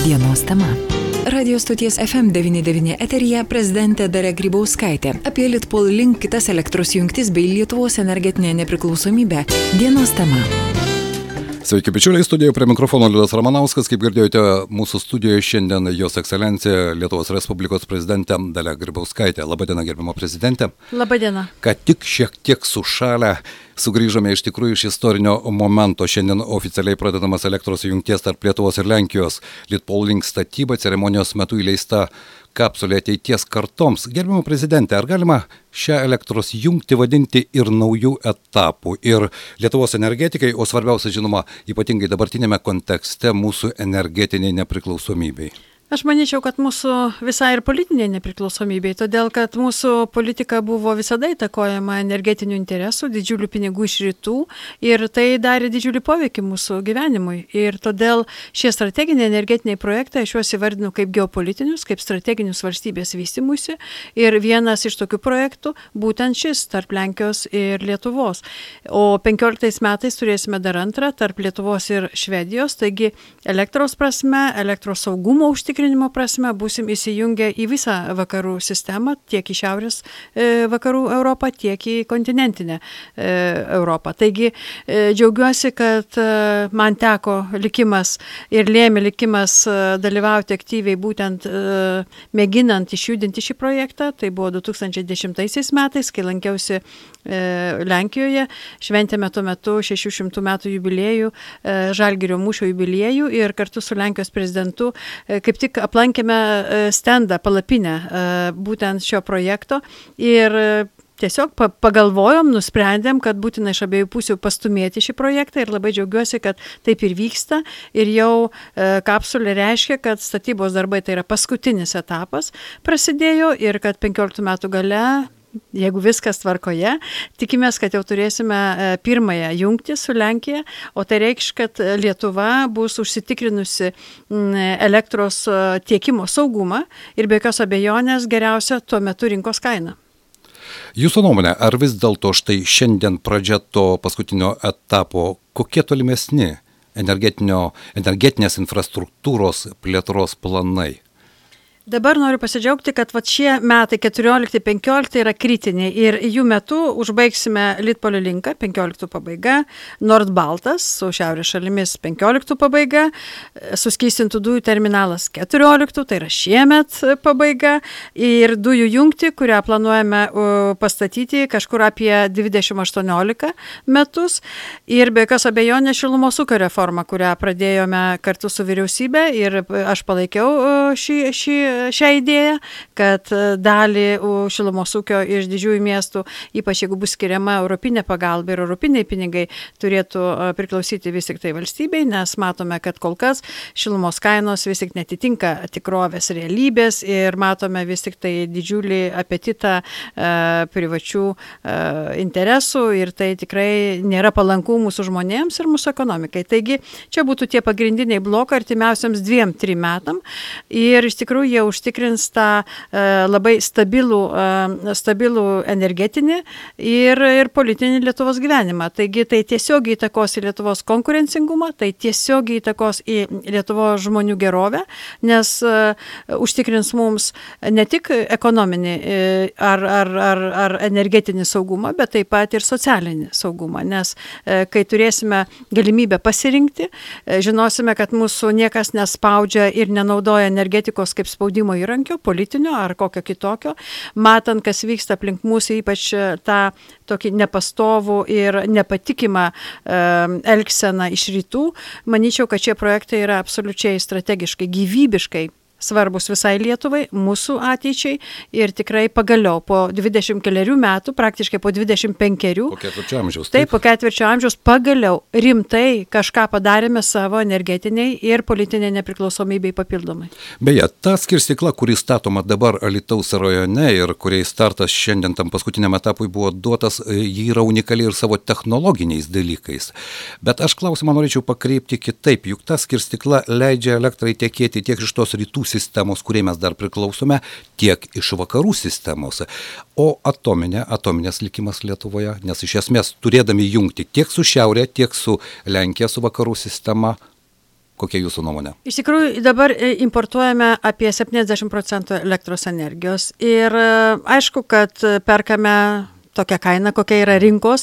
Dienos tema. Radio stoties FM99 eteryje prezidentė Dalia Grybauskaitė apie Litpol Link kitas elektros jungtis bei Lietuvos energetinę nepriklausomybę. Dienos tema. Sveiki, bičiuliai, studijoje prie mikrofono Liudas Ramanauskas. Kaip girdėjote, mūsų studijoje šiandien Jos Ekscelencija Lietuvos Respublikos prezidentė Dalia Grybauskaitė. Labadiena, gerbimo prezidentė. Labadiena. Kad tik šiek tiek sušalę sugrįžome iš tikrųjų iš istorinio momento. Šiandien oficialiai pradedamas elektros jungties tarp Lietuvos ir Lenkijos Litpol Link statyba, ceremonijos metu įleista kapsulė ateities kartoms. Gerbimo prezidentė, ar galima šią elektros jungtį vadinti ir naujų etapų ir Lietuvos energetikai, o svarbiausia, žinoma, ypatingai dabartinėme kontekste mūsų energetiniai nepriklausomybei? Aš manyčiau, kad mūsų visai ir politinė nepriklausomybė, todėl kad mūsų politika buvo visada įtakojama energetinių interesų, didžiulių pinigų iš rytų ir tai darė didžiulį poveikį mūsų gyvenimui. Ir todėl šie strateginiai energetiniai projektai, aš juos įvardinu kaip geopolitinius, kaip strateginius valstybės vystymuisi. Ir vienas iš tokių projektų būtent šis tarp Lenkijos ir Lietuvos. O 15 metais turėsime dar antrą tarp Lietuvos ir Švedijos, taigi elektros prasme, elektros saugumo užtikrinimo prasme būsim įsijungę į visą vakarų sistemą, tiek į šiaurės vakarų Europą, tiek į kontinentinę Europą. Taigi džiaugiuosi, kad man teko likimas ir lėmė likimas dalyvauti aktyviai būtent mėginant išjudinti šį projektą. Tai buvo 2010 metais, kai lankiausi Lenkijoje, šventėme tuo metu 600 metų jubiliejų, Žalgirio mūšio jubiliejų ir kartu su Lenkijos prezidentu kaip tik aplankėme stendą, palapinę būtent šio projekto ir tiesiog pagalvojom, nusprendėm, kad būtina iš abiejų pusių pastumėti šį projektą ir labai džiaugiuosi, kad taip ir vyksta ir jau kapsulė reiškia, kad statybos darbai tai yra paskutinis etapas prasidėjo ir kad 15 metų gale, jeigu viskas tvarkoje, tikimės, kad jau turėsime pirmąją jungtį su Lenkija, o tai reikš, kad Lietuva bus užsitikrinusi elektros tiekimo saugumą ir be jokios abejonės geriausia tuo metu rinkos kaina. Jūsų nuomonė, ar vis dėlto štai šiandien pradžia to paskutinio etapo, kokie tolimesni energetinės infrastruktūros plėtros planai? Dabar noriu pasidžiaugti, kad šie metai 14-15 yra kritiniai ir jų metu užbaigsime Litpol Linką, 15 pabaiga, Nord-Baltas su šiaurės šalimis 15 pabaiga, suskystintų dujų terminalas 14, tai yra šiemet pabaiga ir dujų jungtį, kurią planuojame pastatyti kažkur apie 2018 metus ir be jokios abejonės šilumos ūkio reforma, kurią pradėjome kartu su vyriausybė ir aš palaikiau šią idėją, kad dalį šilumos ūkio iš didžiųjų miestų, ypač jeigu bus skiriama europinė pagalba ir europiniai pinigai, turėtų priklausyti vis tik tai valstybei, nes matome, kad kol kas šilumos kainos vis tik netitinka tikrovės realybės ir matome vis tik tai didžiulį apetitą privačių interesų ir tai tikrai nėra palanku mūsų žmonėms ir mūsų ekonomikai. Taigi čia būtų tie pagrindiniai blokai artimiausiams 2-3 metam ir iš tikrųjų jie užtikrins tą labai stabilų energetinį ir politinį Lietuvos gyvenimą. Taigi tai tiesiog įtakos į Lietuvos konkurencingumą, tai tiesiog įtakos į Lietuvos žmonių gerovę, nes užtikrins mums ne tik ekonominį ar energetinį saugumą, bet taip pat ir socialinį saugumą, nes kai turėsime galimybę pasirinkti, žinosime, kad mūsų niekas nespaudžia ir nenaudoja energetikos kaip spaudimo įrankio, politinio ar kokio kitokio, matant, kas vyksta aplink mūsų, ypač tą tokį nepastovų ir nepatikimą elgseną iš rytų, manyčiau, kad šie projektai yra absoliučiai strategiškai, gyvybiškai svarbus visai Lietuvai, mūsų ateičiai ir tikrai pagaliau po 20 metų, praktiškai po 25. Po ketvirčio amžiaus. Taip, po ketvirčio amžiaus pagaliau rimtai kažką padarėme savo energetiniai ir politiniai nepriklausomybei papildomai. Beje, ta skirstykla, kuri statoma dabar Alytaus rajone ir kuriai startas šiandien tam paskutiniam etapui buvo duotas, ji yra unikali ir savo technologiniais dalykais. Bet aš klausimą norėčiau pakreipti kitaip, juk ta skirstykla leidžia elektrai tekėti tiek iš tos rytų sistemos, kuriai mes dar priklausome, tiek iš vakarų sistemos. O atominės likimas Lietuvoje, nes iš esmės turėdami jungti tiek su šiaurė, tiek su Lenkija, su vakarų sistema, Kokia jūsų nuomonė? Iš tikrųjų, dabar importuojame apie 70% elektros energijos ir aišku, kad perkame tokia kaina, kokia yra rinkos,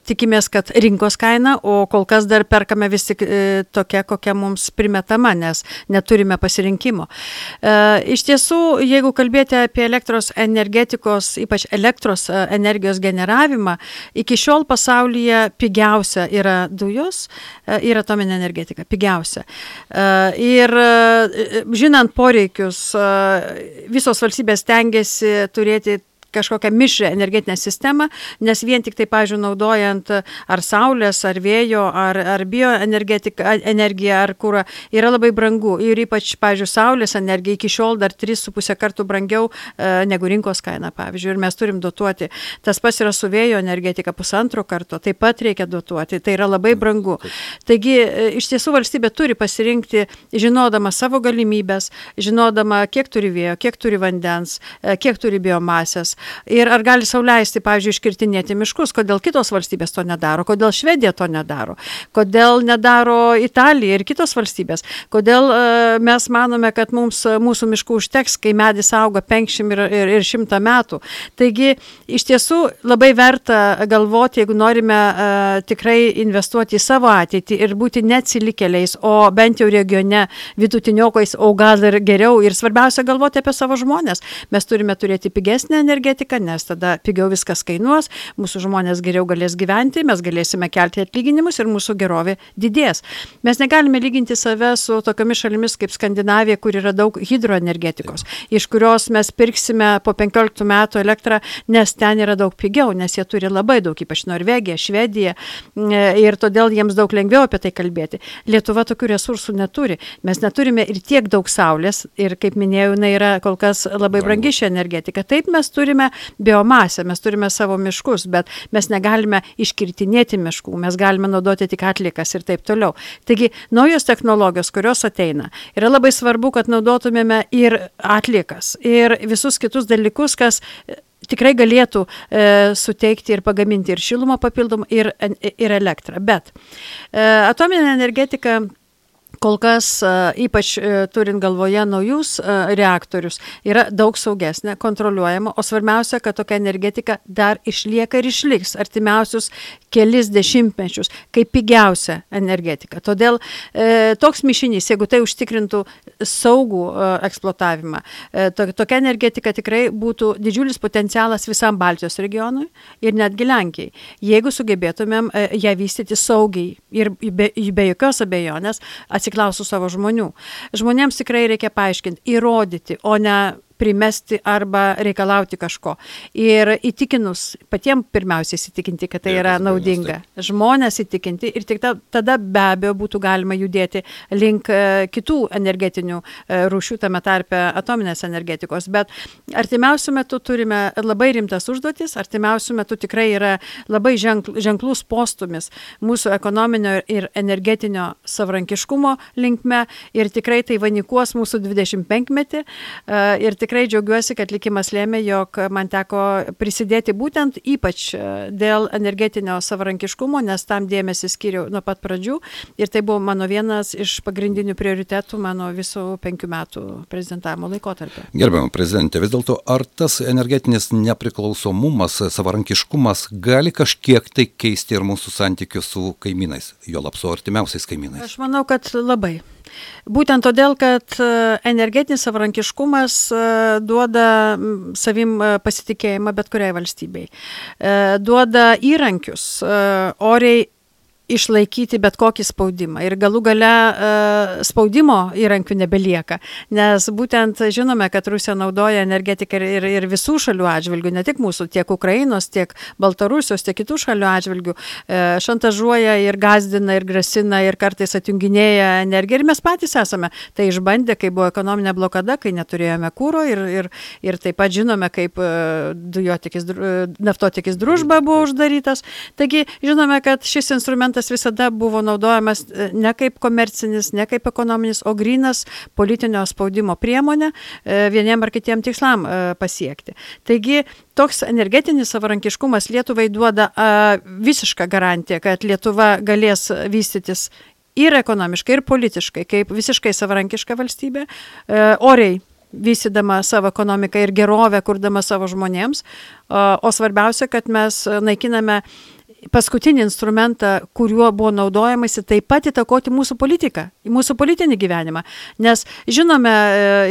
tikimės, kad rinkos kaina, o kol kas dar perkame vis tik tokia, kokia mums primetama, nes neturime pasirinkimo. Iš tiesų, jeigu kalbėti apie elektros energetikos, ypač elektros energijos generavimą, iki šiol pasaulyje pigiausia yra dujos ir atominė energetika, pigiausia. Ir žinant poreikius, visos valstybės stengiasi turėti kažkokią mišrią energetinę sistemą, nes vien tik tai, pavyzdžiui, naudojant ar saulės, ar vėjo, ar bioenergiją, ar kurą, yra labai brangu. Ir ypač, pavyzdžiui, saulės energija iki šiol dar 3,5 kartų brangiau negu rinkos kaina, pavyzdžiui, ir mes turim dotuoti. Tas pats yra su vėjo energetika 1,5 karto, taip pat reikia dotuoti, tai yra labai brangu. Taigi, iš tiesų valstybė turi pasirinkti, žinodama savo galimybės, žinodama, kiek turi vėjo, kiek turi vandens, kiek turi biomasės. Ir ar gali sau leisti, pavyzdžiui, iškirtinėti miškus, kodėl kitos valstybės to nedaro, kodėl Švedija to nedaro, kodėl nedaro Italija ir kitos valstybės, kodėl mes manome, kad mūsų miškų užteks, kai medis auga 50 ir 100 metų. Taigi, iš tiesų labai verta galvoti, jeigu norime tikrai investuoti į savo ateitį ir būti neatsilikėliais, o bent jau regione vidutiniokais, o gal ir geriau. Ir svarbiausia galvoti apie savo žmonės. Mes turime turėti pigesnę energetiką, nes tada pigiau viskas kainuos, mūsų žmonės geriau galės gyventi, mes galėsime kelti atlyginimus ir mūsų gerovė didės. Mes negalime lyginti save su tokiomis šalimis kaip Skandinavija, kur yra daug hidroenergetikos, iš kurios mes pirksime po 15 metų elektrą, nes ten yra daug pigiau, nes jie turi labai daug, ypač Norvegija, Švedija, ir todėl jiems daug lengviau apie tai kalbėti. Lietuva tokių resursų neturi. Mes neturime ir tiek daug saulės, ir kaip minėjau, jinai yra kol kas labai brangi ši energetika. Taip mes turime biomasę, mes turime savo miškus, bet mes negalime iškirtinėti miškų, mes galime naudoti tik atliekas ir taip toliau. Taigi, naujos technologijos, kurios ateina, yra labai svarbu, kad naudotumėme ir atliekas, ir visus kitus dalykus, kas tikrai galėtų suteikti ir pagaminti ir šilumą papildomą, ir elektrą. Bet atominė energetika kol kas, ypač turint galvoje naujus reaktorius, yra daug saugesnė, kontroliuojama, o svarbiausia, kad tokia energetika dar išlieka ir išliks artimiausius kelis dešimtmečius kaip pigiausia energetika. Todėl toks mišinys, jeigu tai užtikrintų saugų eksploatavimą, tokia energetika tikrai būtų didžiulis potencialas visam Baltijos regionui ir netgi Lenkijai. Jeigu sugebėtumėm ją vystyti saugiai ir be jokios abejonės atsiklausų savo žmonių. Žmonėms tikrai reikia paaiškinti, įrodyti, o ne primesti arba reikalauti kažko. Ir įtikinus, patiems pirmiausiai įsitikinti, kad tai yra naudinga. Žmonės įtikinti ir tik tada be abejo būtų galima judėti link kitų energetinių rūšių, tame tarpe atominės energetikos. Bet artimiausių metų turime labai rimtas užduotis, artimiausių metų tikrai yra labai ženklus postumis mūsų ekonominio ir energetinio savarankiškumo linkme ir tikrai tai vainikuos mūsų 25-metį ir tikrai džiaugiuosi, kad likimas lėmė, jog man teko prisidėti būtent ypač dėl energetinio savarankiškumo, nes tam dėmesį skiriau nuo pat pradžių ir tai buvo mano vienas iš pagrindinių prioritetų mano visų 5 metų prezidentavimo laikotarpio. Gerbiama prezidentė, vis dėlto ar tas energetinis nepriklausomumas, savarankiškumas gali kažkiek tai keisti ir mūsų santykius su kaimynais, juolab su artimiausiais kaimynais? Aš manau, kad labai. Būtent todėl, kad energetinis savarankiškumas duoda savim pasitikėjimą bet kuriai valstybei. Duoda įrankius oriai išlaikyti bet kokį spaudimą. Ir galų gale spaudimo įrankių nebelieka, nes būtent žinome, kad Rusija naudoja energetiką ir visų šalių atžvilgių, ne tik mūsų, tiek Ukrainos, tiek Baltarusijos, tiek kitų šalių atžvilgių, šantažuoja ir gazdina, ir grasina, ir kartais atjunginėja energiją. Ir mes patys esame tai išbandę, kai buvo ekonominė blokada, kai neturėjome kuro ir taip pat žinome, kaip naftotiekis Družba buvo uždarytas. Taigi žinome, kad šis instrumentas visada buvo naudojamas ne kaip komercinis, ne kaip ekonominis, o grynas politinio spaudimo priemonė vieniem ar kitiem tikslam pasiekti. Taigi, toks energetinis savarankiškumas Lietuvai duoda visišką garantiją, kad Lietuva galės vystytis ir ekonomiškai, ir politiškai, kaip visiškai savarankiška valstybė, oriai vystydama savo ekonomiką ir gerovę, kurdama savo žmonėms. O svarbiausia, kad mes naikiname paskutinį instrumentą, kuriuo buvo naudojamasi, taip pat įtakoti mūsų politiką, mūsų politinį gyvenimą. Nes žinome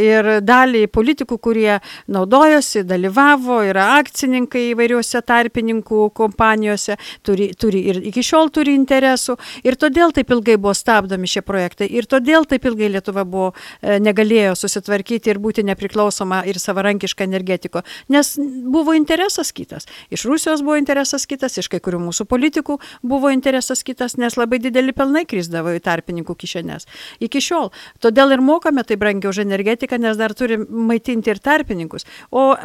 ir dalį politikų, kurie naudojosi, dalyvavo, yra akcininkai įvairiuose tarpininkų kompanijose, turi ir iki šiol turi interesų. Ir todėl taip ilgai buvo stabdomi šie projektai. Ir todėl taip ilgai Lietuva negalėjo susitvarkyti ir būti nepriklausoma ir savarankiška energetiko. Nes buvo interesas kitas. Iš Rusijos buvo interesas kitas, iš kai kurių mūsų politikų buvo interesas kitas, nes labai dideli pelnai krisdavo į tarpininkų kišenes. Iki šiol. Todėl ir mokame tai brangiau už energetiką, nes dar turim maitinti ir tarpininkus. O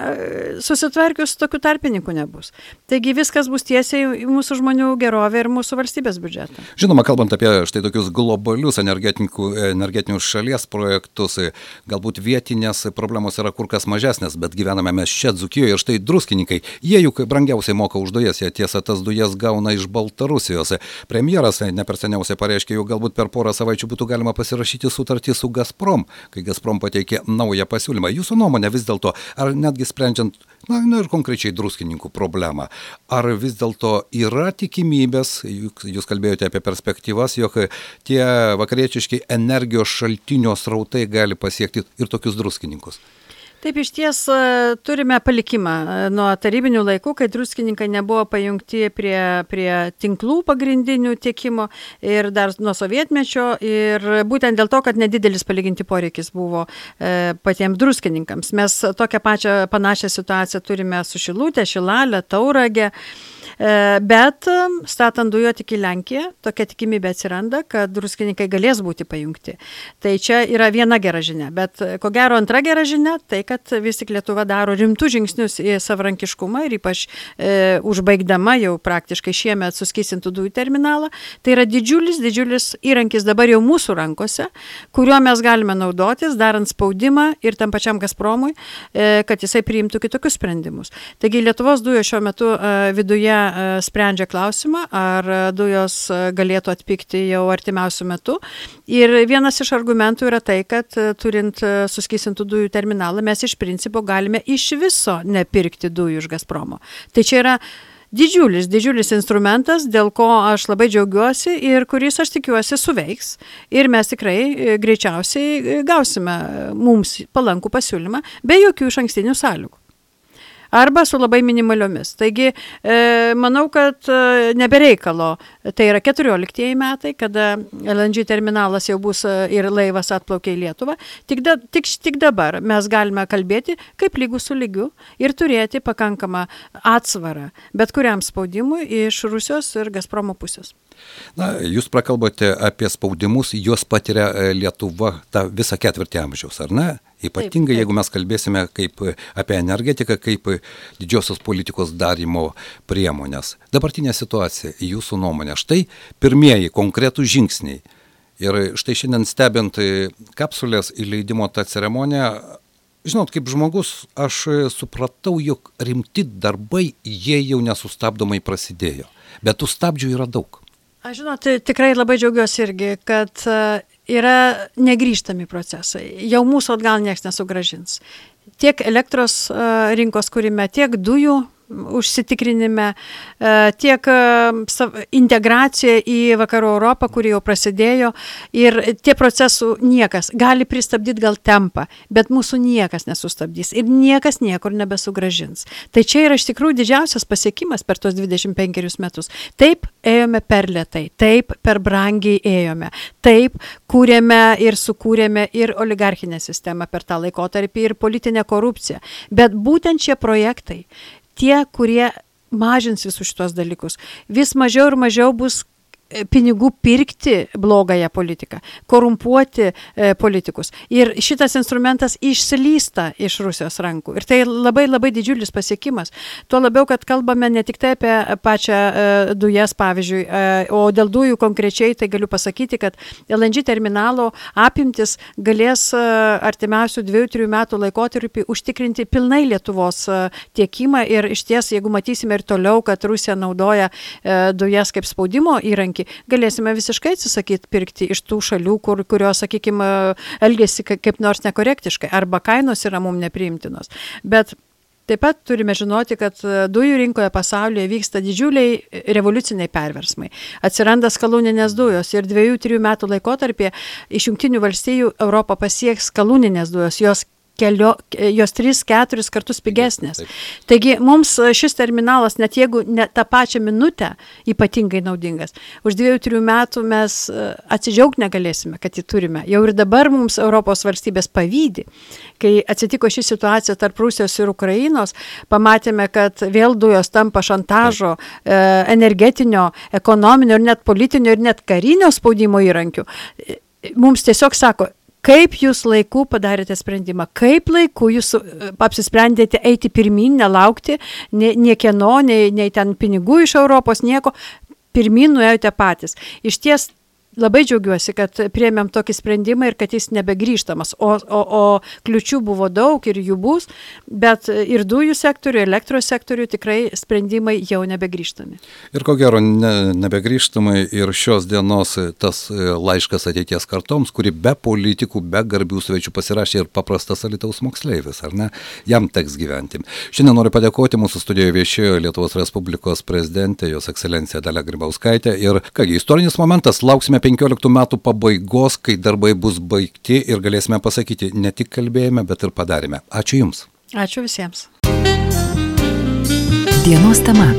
susitvarkius tokių tarpininkų nebus. Taigi viskas bus tiesiai į mūsų žmonių gerovę ir mūsų valstybės biudžetą. Žinoma, kalbant apie štai tokius globalius energetinius šalies projektus, galbūt vietinės problemos yra kur kas mažesnės, bet gyvename mes čia Dzūkijoje ir štai druskininkai. Jie juk brangiausiai moka už dujas, jie tiesa tas dujas gauna iš Baltarusijos. Premjeras ne per seniausiai pareiškė, jog galbūt per porą savaičių būtų galima pasirašyti sutartį su Gazprom, kai Gazprom pateikė naują pasiūlymą. Jūsų nuomonė vis dėlto, ar netgi sprendžiant, ir konkrečiai druskininkų problemą, ar vis dėlto yra tikimybės, jūs kalbėjote apie perspektyvas, jog tie vakariečiški energijos šaltinio srautai gali pasiekti ir tokius druskininkus? Taip, iš ties turime palikimą nuo tarybinių laikų, kai druskininkai nebuvo pajungti prie tinklų pagrindinių tiekimo ir dar nuo sovietmečio ir būtent dėl to, kad nedidelis palyginti poreikis buvo patiems druskininkams. Mes tokią panašią situaciją turime su Šilutė, Šilalė, Tauragė. Bet statant dujotiekį į Lenkiją, tokia tikimybė atsiranda, kad druskininkai galės būti pajungti. Tai čia yra viena gera žinia, bet ko gero antra gera žinia, tai kad vis tik Lietuva daro rimtus žingsnius į savarankiškumą ir ypač užbaigdama jau praktiškai šiemet suskysintų dujų terminalą. Tai yra didžiulis įrankis dabar jau mūsų rankose, kuriuo mes galime naudotis, darant spaudimą ir tam pačiam Gazpromui, kad jisai priimtų kitokius sprendimus. Taigi Lietuvos dujos šiuo metu viduje sprendžia klausimą, ar dujos galėtų atpigti jau artimiausių metų. Ir vienas iš argumentų yra tai, kad turint suskysintų dujų terminalą, mes iš principo galime iš viso nepirkti dujų iš Gazpromo. Tai čia yra didžiulis instrumentas, dėl ko aš labai džiaugiuosi ir kuris, aš tikiuosi, suveiks. Ir mes tikrai greičiausiai gausime mums palankų pasiūlymą be jokių išankstinių sąlygų. Arba su labai minimaliomis. Taigi, manau, kad nebereikalo, tai yra 14 metai, kada LNG terminalas jau bus ir laivas atplaukia į Lietuvą. Tik dabar mes galime kalbėti kaip lygus su lygiu ir turėti pakankamą atsvarą bet kuriam spaudimui iš Rusijos ir Gazpromo pusės. Jūs prakalbote apie spaudimus, juos patiria Lietuva tą visą ketvirtį amžiaus, ar ne? Ypatingai, jeigu mes kalbėsime apie energetiką, kaip didžiosios politikos darymo priemonės. Dabartinė situacija, jūsų nuomonė, štai pirmieji konkretų žingsniai. Ir štai šiandien stebint kapsulės įleidimo tą ceremoniją, žinot, kaip žmogus, aš supratau, jog rimti darbai, jie jau nesustabdomai prasidėjo. Bet tų stabdžių yra daug. Aš žinot, tikrai labai džiaugiuosi irgi, kad yra negrįžtami procesai. Jau mūsų atgal nieks nesugrąžins. Tiek elektros rinkos kūrime, tiek dujų užsitikrinime, tiek integracija į Vakarų Europą, kuri jau prasidėjo, ir tie procesų niekas gali pristabdyti gal tempą, bet mūsų niekas nesustabdys ir niekas niekur nebesugrąžins. Tai čia yra iš tikrųjų didžiausias pasiekimas per tos 25 metus. Taip ėjome per lėtai, taip per brangiai ėjome, taip kūrėme ir sukūrėme ir oligarchinę sistemą per tą laikotarpį ir politinę korupciją. Bet būtent šie projektai, tie, kurie mažins visus šitos dalykus, vis mažiau ir mažiau bus pinigų pirkti blogąją politiką, korumpuoti politikus. Ir šitas instrumentas išslysta iš Rusijos rankų. Ir tai labai labai didžiulis pasiekimas. Tuo labiau, kad kalbame ne tik tai apie pačią dujas, pavyzdžiui, o dėl dujų konkrečiai, tai galiu pasakyti, kad LNG terminalo apimtis galės artimiausių 2-3 metų laikotarpį užtikrinti pilnai Lietuvos tiekimą. Ir iš ties, jeigu matysime ir toliau, kad Rusija naudoja dujas kaip spaudimo įrankį poreikį. Galėsime visiškai atsisakyti pirkti iš tų šalių, kurios, sakykime, elgesi kaip nors nekorektiškai, arba kainos yra mums nepriimtinos. Bet taip pat turime žinoti, kad dujų rinkoje pasaulyje vyksta didžiuliai revoliuciniai perversmai. Atsiranda skalūninės dujos ir 2-3 metų laikotarpyje iš Jungtinių valstijų Europą pasieks skalūninės dujos, jos 3-4 kartus pigesnės. Taigi mums šis terminalas, net jeigu ne tą pačią minutę, ypatingai naudingas. Už 2-3 metų mes atsidžiaugti negalėsime, kad jį turime. Jau ir dabar mums Europos valstybės pavydi. Kai atsitiko ši situacija tarp Rusijos ir Ukrainos, pamatėme, kad vėl dujos tampa šantažo, energetinio, ekonominio ir net politinio ir net karinio spaudimo įrankių. Mums tiesiog sako, kaip jūs laiku padarėte sprendimą, kaip laiku jūs apsisprendėte eiti pirmin, nelaukti niekieno, nei ten pinigų iš Europos, nieko, pirmin nuėjote patys. Iš ties labai džiaugiuosi, kad priėmėm tokį sprendimą ir kad jis nebegrįžtamas, o kliučių buvo daug ir jų bus, bet ir dujų sektorių, ir elektros sektorių tikrai sprendimai jau nebegrįžtami. Ir ko gero nebegrįžtamai ir šios dienos tas laiškas ateities kartoms, kuri be politikų, be garbių svečių pasirašė ir paprastas Alytaus moksleivis, ar ne? Jam teks gyventi. Šiandien noriu padėkoti, mūsų studijoje viešėjo Lietuvos Respublikos prezidentė, jos ekscelencija Dalia Grybauskaitė ir kągi, istorinis momentas, lauksime 15 metų pabaigos, kai darbai bus baigti ir galėsime pasakyti, ne tik kalbėjome, bet ir padarėme. Ačiū Jums. Ačiū visiems. Dienos tema.